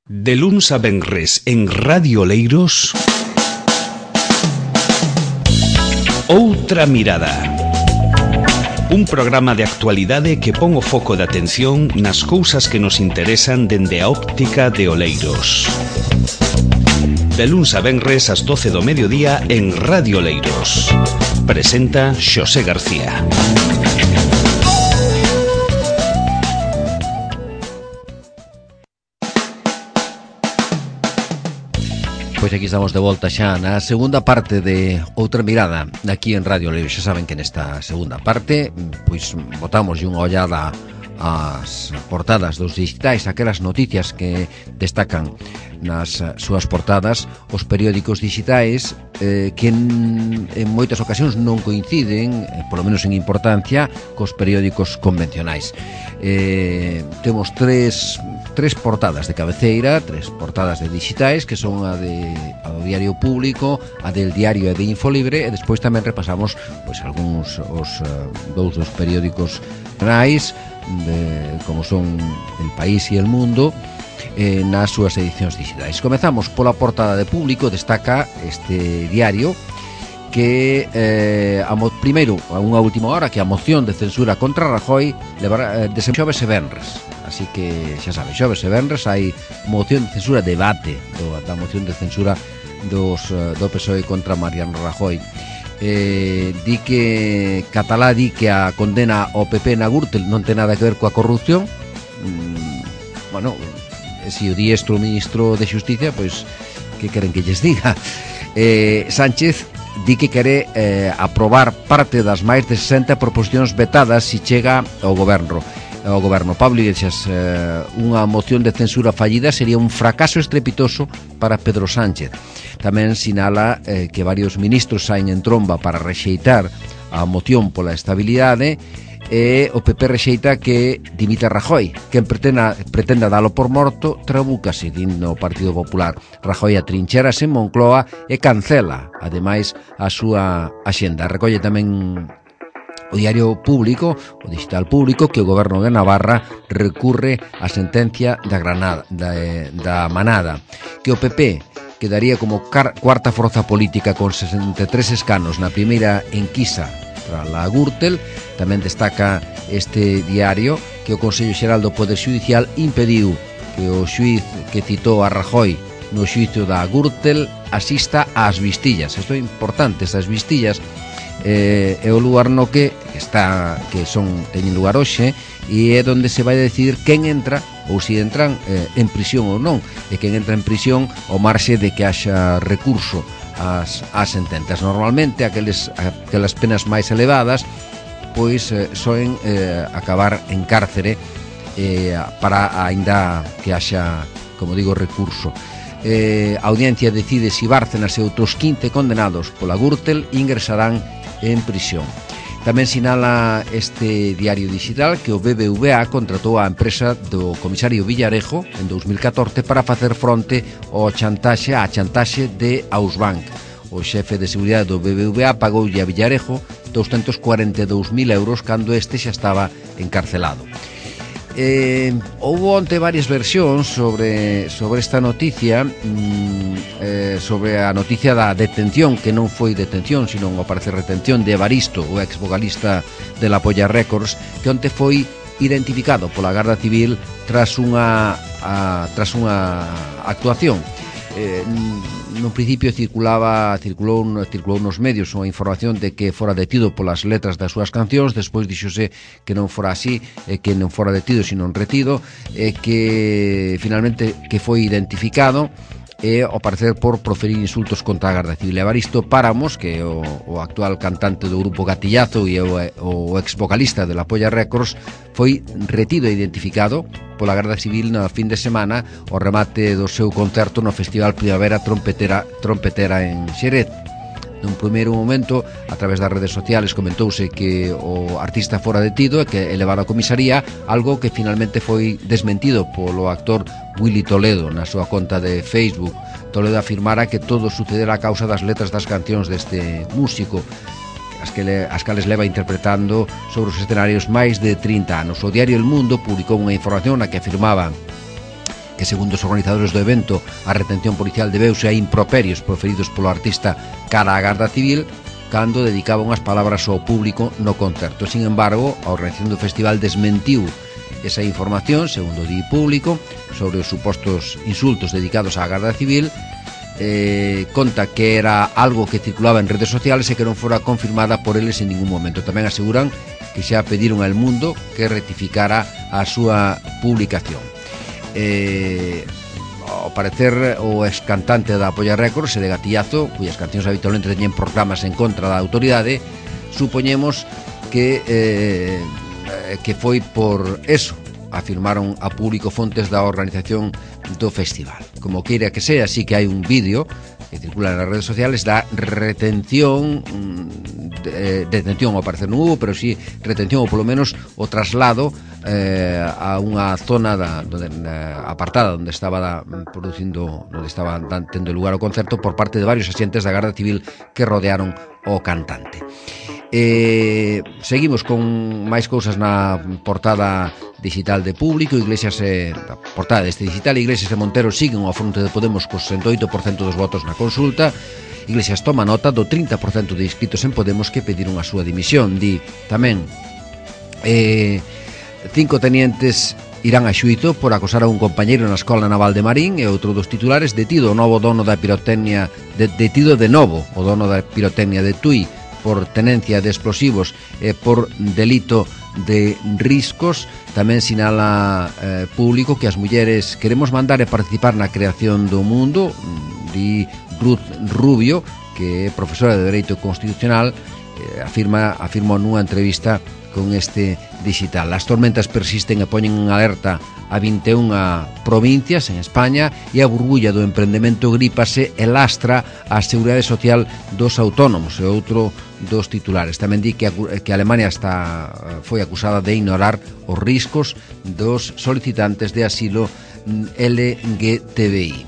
De luns a venres en Radio Oleiros, Outra Mirada. Un programa de actualidade que pon o foco de atención nas cousas que nos interesan dende a óptica de Oleiros. De luns a venres ás 12 do mediodía en Radio Oleiros. Presenta Xosé García. Pois aquí estamos de volta xa na segunda parte de Outra Mirada aquí en Radio Oleiros. Xa saben que nesta segunda parte pois botamos unha ollada ás portadas dos digitais, aquelas noticias que destacan nas súas portadas os periódicos digitais que en moitas ocasións non coinciden, polo menos en importancia, cos periódicos convencionais. Temos tres portadas de cabeceira, tres portadas de digitais, que son a do Diario Público, a del Diario e de Infolibre, e despois tamén repasamos pois algúns dous dos periódicos nacionais, como son El País e El Mundo, nas súas edicións digitais. Comezamos pola portada de Público. Destaca este diario que primeiro, a unha última hora, que a moción de censura contra Rajoy levará xoves e venres. Así que, xa sabe, xoves e venres hai moción de censura, debate da moción de censura do PSOE contra Mariano Rajoy. Di que Catalá di que a condena ao PP na Gürtel non ten nada que ver coa corrupción. Bueno, se o di isto o ministro de Xusticia, pois que queren que lles diga? Sánchez di que quere aprobar parte das máis de 60 proposicións vetadas se chega ao goberno. Pablo Iglesias, unha moción de censura fallida sería un fracaso estrepitoso para Pedro Sánchez. Tamén sinala que varios ministros saen en tromba para rexeitar a moción pola estabilidade, e o PP rexeita que dimita Rajoy. Quen pretenda dalo por morto trabúcase, din no Partido Popular. Rajoy atrincherase en Moncloa e cancela, ademais, a súa axenda. Recolle tamén o Diario Público, o Digital Público, que o Goberno de Navarra recurre á sentencia da Manada, que o PP quedaría como cuarta forza política con 63 escanos na primeira enquisa tras a Gürtel. Tamén destaca este diario que o Consello Xeral do Poder Xudicial impediu que o xuíz que citou a Rajoy no xuízo da Gürtel asista ás vistillas. Isto é importante, estas vistillas é o lugar no que teñen lugar hoxe, e é onde se vai decidir quen entra ou se entran en prisión ou non, e quen entra en prisión ao marxe de que haxa recurso ás sentencias. Normalmente aquelas penas máis elevadas pois soen acabar en cárcere para aínda que haxa, como digo, recurso. A audiencia decide se Bárcenas e outros 15 condenados pola Gürtel ingresarán en prisión. Tamén sinala este diario digital que o BBVA contratou a empresa do comisario Villarejo en 2014 para facer fronte á chantaxe de Ausbank. O xefe de seguridade do BBVA pagoulle a Villarejo 242.000 euros cando este xa estaba encarcelado. Houve onte varias versións sobre esta noticia, sobre a noticia da detención, que non foi detención, sino ao parecer retención de Evaristo, o ex vocalista de La Polla Records, que onte foi identificado pola Garda Civil tras unha actuación. No principio circulou nos medios unha información de que fora detido polas letras das súas cancións. Despois díxose que non fora así, que non fora detido sino retido, e que finalmente que foi identificado e ao parecer por proferir insultos contra a Garda Civil. Evaristo Páramos, que é o actual cantante do grupo Gatillazo e o ex vocalista de La Polla Records, foi retido e identificado pola Garda Civil na fin de semana ao remate do seu concerto no Festival Primavera Trompetera en Xerez. Nun primeiro momento, a través das redes sociales, comentouse que o artista fora detido e que elevado a comisaría, algo que finalmente foi desmentido polo actor Willy Toledo na súa conta de Facebook. Toledo afirmara que todo sucedera a causa das letras das cancións deste músico, as cales leva interpretando sobre os escenarios máis de 30 anos. O diario El Mundo publicou unha información na que afirmaba que segundo os organizadores do evento a retención policial debeuse a improperios proferidos polo artista cara á Garda Civil cando dedicaba unhas palabras ao público no concerto. Sin embargo, a organización do festival desmentiu esa información, segundo di público, sobre os supostos insultos dedicados á Garda Civil. Conta que era algo que circulaba en redes sociales e que non fora confirmada por eles en ningún momento. Tamén aseguran que xa pediron ao Mundo que rectificara a súa publicación. Ao parecer, o excantante da Polla Records e de Gatillazo, cuyas cancións habitualmente teñen proclamas en contra da autoridade, supoñemos que foi por eso, afirmaron a público fontes da organización do festival. Como queira que sea, sí que hai un vídeo que circula nas redes sociales da retención, detención ao parecer non hubo, pero sí retención ou polo menos o traslado a unha zona apartada onde estaba producindo, onde estaba tendo lugar o concerto por parte de varios axentes da Garda Civil que rodearon o cantante. Seguimos con máis cousas na portada digital de Público. Iglesias a portada deste digital, Iglesias e Montero siguen ao fronte de Podemos co 68% dos votos na consulta. Iglesias toma nota do 30% de inscritos en Podemos que pediron a súa dimisión. Di tamén 5 tenientes irán a xuízo por acosar a un compañeiro na Escola Naval de Marín, e outro dos titulares, detido o novo dono da pirotecnia detido de novo o dono da pirotecnia de Tui por tenencia de explosivos e por delito de riscos. Tamén sinala Público que as mulleres queremos mandar e participar na creación do mundo. Di Ruth Rubio, que é profesora de Dereito Constitucional, afirma nunha entrevista con este digital. As tormentas persisten e poñen en alerta a 21 provincias en España, e a burbulla do emprendemento grípase e lastra a seguridade social dos autónomos, e outro dos titulares. Tamén di que Alemania foi acusada de ignorar os riscos dos solicitantes de asilo LGTBI.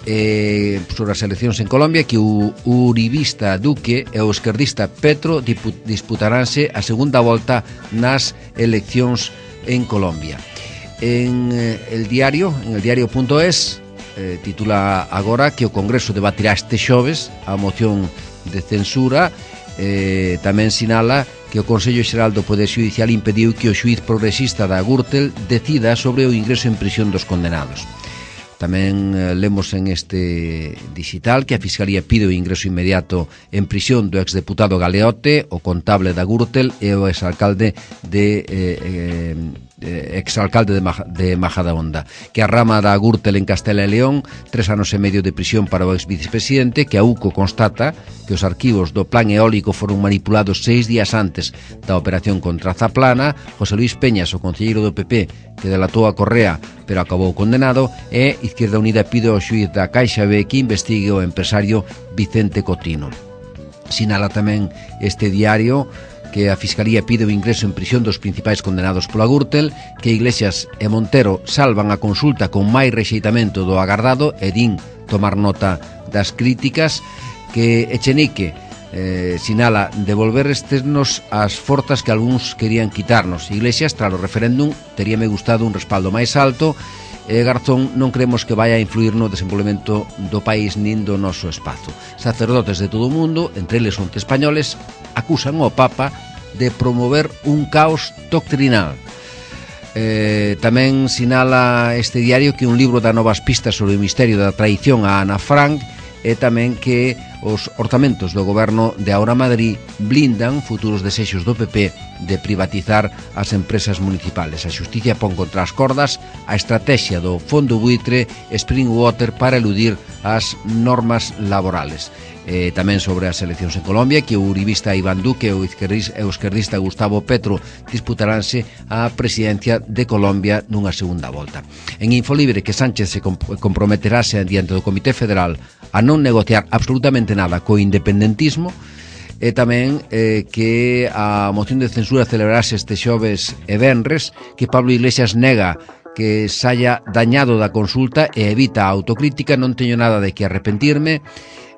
Sobre as eleccións en Colombia, que o uribista Duque e o esquerdista Petro disputaranse a segunda volta nas eleccións en Colombia. En el diario.es titula agora que o Congreso debatirá este xoves a moción de censura. Tamén sinala que o Consello Xeral do Poder Xudicial impediu que o xuiz progresista da Gürtel decida sobre o ingreso en prisión dos condenados. Tamén lemos en este digital que a Fiscalía pide o ingreso inmediato en prisión do exdeputado Galeote, o contable da Gürtel e o exalcalde de Majadahonda. Que a rama da Gürtel en Castela e León, 3 anos e medio de prisión para o exvicepresidente. Que a UCO constata que os arquivos do plan eólico foron manipulados 6 días antes da operación contra Zaplana. José Luis Peñas, o concelleiro do PP, que delatou a Correa pero acabou condenado. E Izquierda Unida pide ao xuiz da Caixa B que investigue o empresario Vicente Cotino. Sinala tamén este diario que a Fiscalía pide o ingreso en prisión dos principais condenados pola Gürtel, que Iglesias e Montero salvan a consulta con máis rexeitamento do agardado e din tomar nota das críticas. Que Echenique sinala devolver externos as forzas que algúns querían quitarnos. Iglesias, tras o referéndum, teríame gustado un respaldo máis alto. Garzón, non creemos que vai a influir no desenvolvemento do país nin do noso espazo. Sacerdotes de todo o mundo, entre eles 11 españoles, acusan ao Papa de promover un caos doctrinal. Tamén sinala este diario que un libro dá novas pistas sobre o misterio da traición a Ana Frank, e tamén que os orzamentos do goberno de Ahora Madrid blindan futuros desexos do PP de privatizar as empresas municipales. A xusticia pon contra as cordas a estrategia do fondo buitre Springwater para eludir as normas laborales. Tamén sobre as eleccións en Colombia, que o uribista Iván Duque e o esquerdista Gustavo Petro disputaranse a presidencia de Colombia nunha segunda volta. En Infolibre, que Sánchez se comprometerase diante do Comité Federal a non negociar absolutamente nada co independentismo. E tamén que a moción de censura celebrarase este xoves e venres, que Pablo Iglesias nega que se haya dañado da consulta e evita a autocrítica. Non teño nada de que arrepentirme.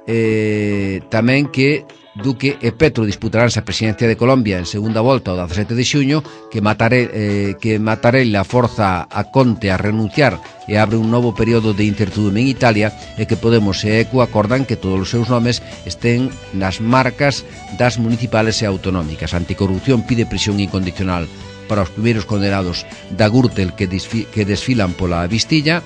Tamén que Duque e Petro disputaránse a presidencia de Colombia en segunda volta o 17 de xuño, que Mattarella forza a Conte a renunciar e abre un novo período de incertidumbre en Italia, e que Podemos e ECO acordan que todos os seus nomes estén nas marcas das municipales e autonómicas. Anticorrupción pide prisión incondicional para os primeiros condenados da Gürtel que desfilan pola Vistilla,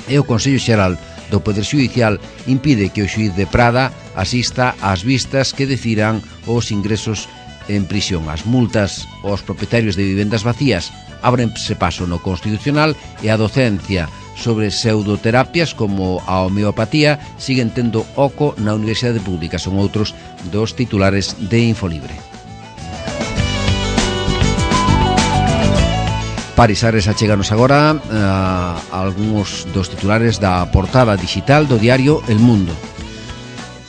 e o Consello Xeral do Poder Xudicial impide que o xuíz de Prada asista ás vistas que decidan os ingresos en prisión. As multas aos propietarios de vivendas vacías ábrense paso no Constitucional, e a docencia sobre pseudoterapias como a homeopatía siguen tendo oco na Universidade Pública. Son outros dos titulares de Infolibre. Paris Ares, acheganos agora algúns dos titulares da portada digital do diario El Mundo.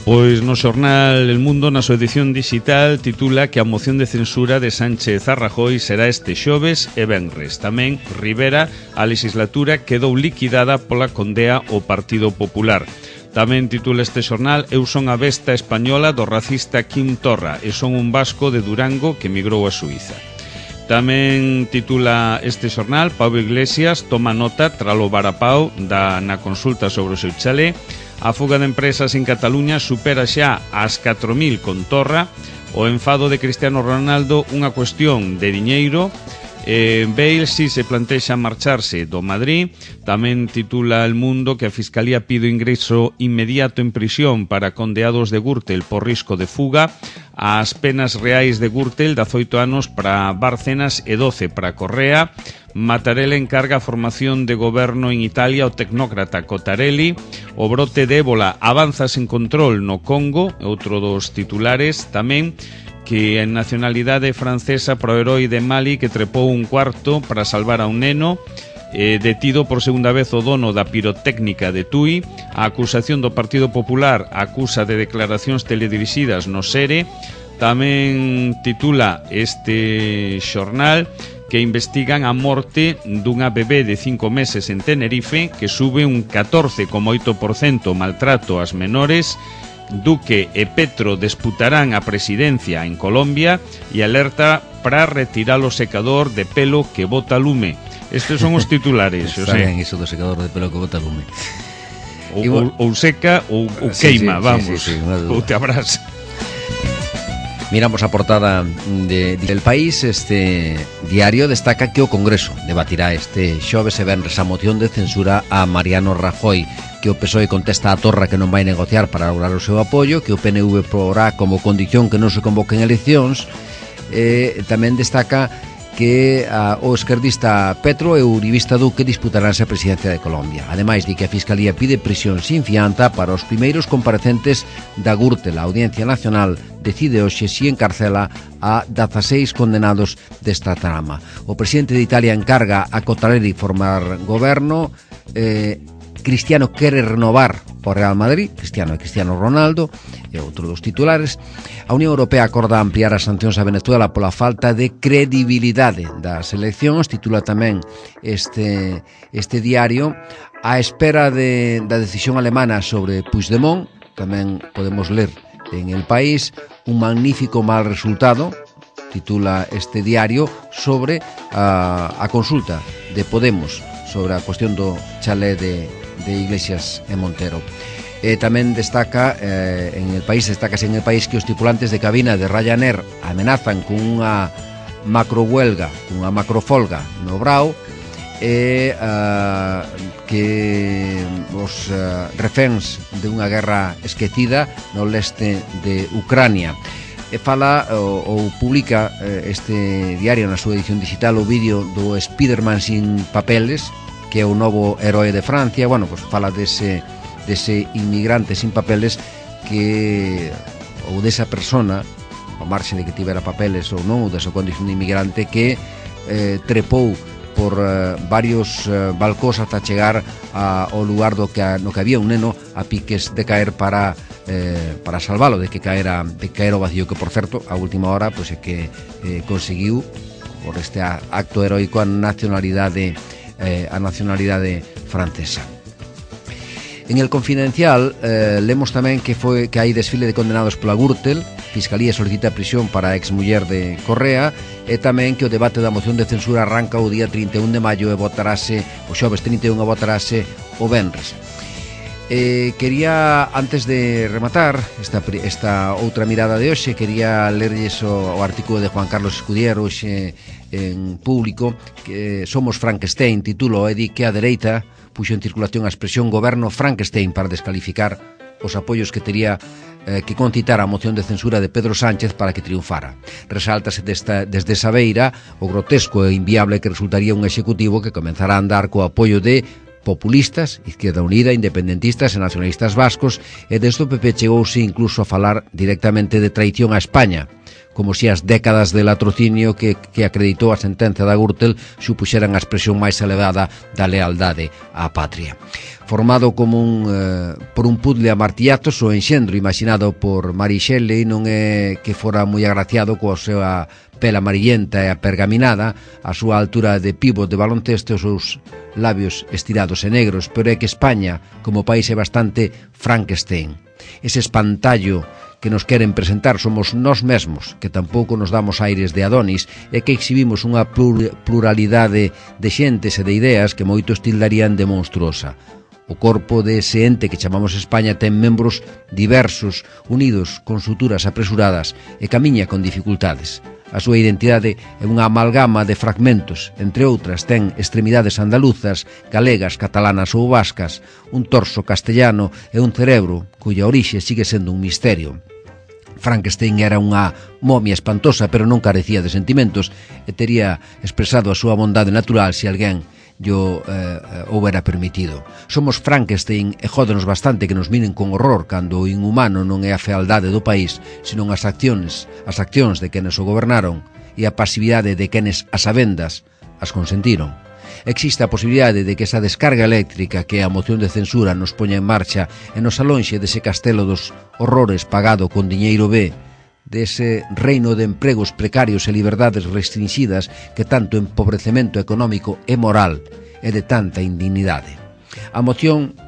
Pois no xornal El Mundo, na súa edición digital, titula que a moción de censura de Sánchez a Rajoy será este xoves e venres. Tamén Rivera, a legislatura quedou liquidada pola condea ao Partido Popular. Tamén titula este xornal: Eu son a besta española do racista Quim Torra e son un vasco de Durango que migrou a Suiza. Tamén titula este xornal: Pablo Iglesias toma nota tralo varapao na consulta sobre o seu chalé. A fuga de empresas en Cataluña supera xa as 4.000 con Torra. O enfado de Cristiano Ronaldo, unha cuestión de diñeiro. Bale si se plantexa marcharse do Madrid. Tamén titula El Mundo que a Fiscalía pide o ingreso inmediato en prisión para condeados de Gürtel por risco de fuga. As penas reais de Gürtel, 18 anos para Bárcenas e 12 para Correa. Mattarella encarga a formación de goberno en Italia ao tecnócrata Cottarelli. O brote de ébola avanza sen control no Congo, outro dos titulares. Tamén que en nacionalidade francesa pro herói de Mali que trepou un cuarto para salvar a un neno. Detido por segunda vez o dono da pirotécnica de Tui. A acusación do Partido Popular acusa de declaracións teledirixidas no SERE. Tamén titula este xornal que investigan a morte dunha bebé de 5 meses en Tenerife, que sube un 14,8% maltrato ás menores. Duque e Petro disputarán a presidencia en Colombia e alerta para retirar o secador de pelo que bota lume. Estes son os titulares. Está ben iso do secador de pelo que bota lume. Ou seca ou queima, vamos, ou te abrasa. Miramos a portada del País. Este diario destaca que o Congreso debatirá este xoves e venres a moción de censura a Mariano Rajoy, que o PSOE contesta a Torra que non vai negociar para lograr o seu apoio, que o PNV porá como condición que non se convoquen eleccións. Tamén destaca que o esquerdista Petro e o uribista Duque disputaránse a presidencia de Colombia. Ademais, di que a Fiscalía pide prisión sin fianza para os primeiros comparecentes da Gürtel. A Audiencia Nacional decide hoxe si encarcela a 16 condenados desta trama. O presidente de Italia encarga a Cottarelli formar goberno. Cristiano quere renovar o Real Madrid, Cristiano e Cristiano Ronaldo, e outro dos titulares. A Unión Europea acorda ampliar as sancións a Venezuela pola falta de credibilidade das eleccións. Titula tamén este diario: a espera da decisión alemana sobre Puigdemont. Tamén podemos ler en El País: un magnífico mal resultado. Titula este diario sobre a consulta de Podemos sobre a cuestión do chalé de Iglesias e Montero. Tamén destaca en El País que os tripulantes de cabina de Ryanair amenazan con unha macrohuelga, unha macrofolga no Brao, e que os reféns de unha guerra esquecida no leste de Ucrania. Fala ou publica este diario na súa edición digital o vídeo do Spiderman sin papeles, que é o novo heroe de Francia. Bueno, pues fala dese inmigrante sin papeles ou desa persona, ao marxe de que tivera papeles ou non, ou desa condición de inmigrante, que trepou por varios balcós ata chegar ao lugar no que había un neno a piques de caer para salvalo de que caer ao vacío, que por certo a última hora pois é que conseguiu por este acto heroico a nacionalidade francesa. En El Confidencial lemos tamén que hai desfile de condenados pola Gürtel, Fiscalía solicita prisión para a exmuller de Correa, e tamén que o debate da moción de censura arranca o día 31 de maio e votarase o xoves 31 e votarase o venres. Quería, antes de rematar esta outra mirada de hoxe, quería lerlles o artículo de Juan Carlos Escudier hoxe en Público, que Somos Frankenstein, titulo, e di que a dereita puxo en circulación a expresión goberno Frankenstein para descalificar os apoios que tería que concitar a moción de censura de Pedro Sánchez para que triunfara. Resáltase desde esa beira o grotesco e inviable que resultaría un executivo que comenzará a andar co apoio de populistas, Izquierda Unida, independentistas e nacionalistas vascos, e desde o PP chegouse incluso a falar directamente de traición a España, como se as décadas de latrocinio que acreditou a sentenza da Gürtel supuxeran a expresión máis elevada da lealdade á patria. Formado como por un puzzle a martillazos, o enxendro imaginado por Mary Shelley non é que fora moi agraciado coa súa pela amarillenta e apergaminada, a súa altura de pívot de baloncesto e os seus labios estirados e negros, pero é que España, como país, é bastante Frankenstein. Ese espantallo que nos queren presentar somos nós mesmos, que tampouco nos damos aires de Adonis, e que exhibimos unha pluralidade de xentes e de ideas que moitos tildarían de monstruosa. O corpo dese ente que chamamos España ten membros diversos, unidos con suturas apresuradas e camiña con dificultades. A súa identidade é unha amalgama de fragmentos, entre outras ten extremidades andaluzas, galegas, catalanas ou vascas, un torso castellano e un cerebro cuya orixe sigue sendo un misterio. Frankenstein era unha momia espantosa, pero non carecía de sentimentos e tería expresado a súa bondade natural se alguén yo houbera permitido. Somos Frankenstein e jódenos bastante que nos miren con horror cando o inhumano non é a fealdade do país, senón as accións de quenes o gobernaron e a pasividade de quenes as sabendas as consentiron. Existe a posibilidade de que esa descarga eléctrica que a moción de censura nos poña en marcha e nos alonxe dese castelo dos horrores pagado con diñeiro B, dese reino de empregos precarios e liberdades restringidas que tanto empobrecemento económico e moral e de tanta indignidade. A moción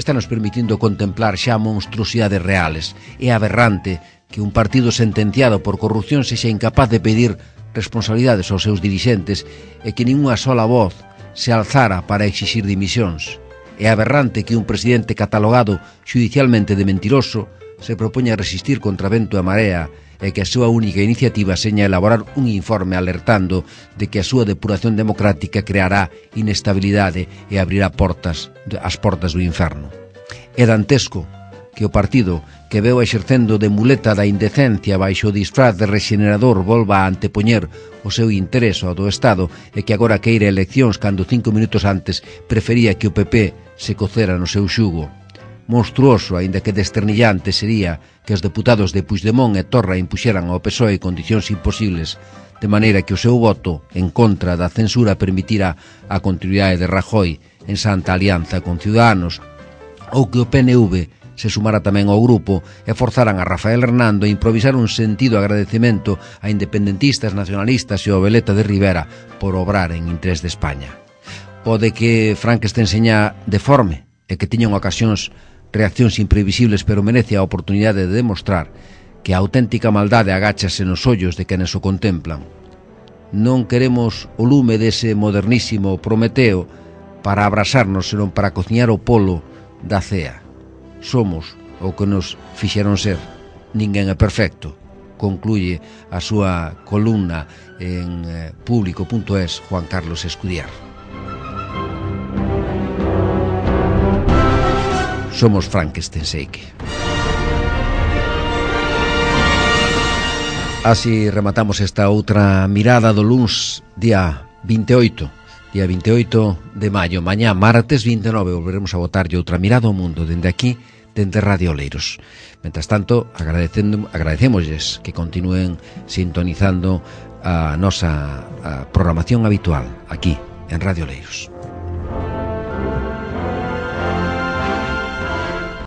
está nos permitindo contemplar xa monstruosidades reales. É aberrante que un partido sentenciado por corrupción sexa incapaz de pedir responsabilidades aos seus dirixentes e que nin unha sola voz se alzara para exixir dimisións. É aberrante que un presidente catalogado xudicialmente de mentiroso se propoña resistir contra vento e marea e que a súa única iniciativa seña elaborar un informe alertando de que a súa depuración democrática creará inestabilidade e abrirá as portas do inferno. É dantesco que o partido que veu exercendo de muleta da indecencia baixo o disfraz de rexenerador volva a antepoñer o seu interés ao do Estado e que agora queira eleccións cando 5 minutos antes prefería que o PP se cocera no seu xugo. Monstruoso, aínda que desternillante, sería que os deputados de Puigdemont e Torra impuxeran ao PSOE condicións imposibles, de maneira que o seu voto en contra da censura permitira a continuidade de Rajoy en santa alianza con Ciudadanos, ou que o PNV se sumara tamén ao grupo e forzaran a Rafael Hernando a improvisar un sentido agradecemento a independentistas, nacionalistas e ao Veleta de Rivera por obrar en interés de España. Pode que Frankenstein seña deforme e que tiñan ocasións reaccións imprevisibles, pero merece a oportunidade de demostrar que a auténtica maldade agáchase nos ollos de quenes o contemplan. Non queremos o lume dese modernísimo Prometeo para abrasarnos, senón para cociñar o polo da cea. Somos o que nos fixeron ser. Ninguén é perfecto, concluye a súa columna en Público.es Juan Carlos Escudier. Somos Frankenstein, Seike. Así rematamos esta outra mirada do luns, día 28 de maio. Mañá, martes 29, volveremos a botarlle outra mirada ao mundo dende aquí, dende Radio Oleiros. Mentras tanto, agradecémosles que continúen sintonizando a nosa programación habitual aquí en Radio Oleiros.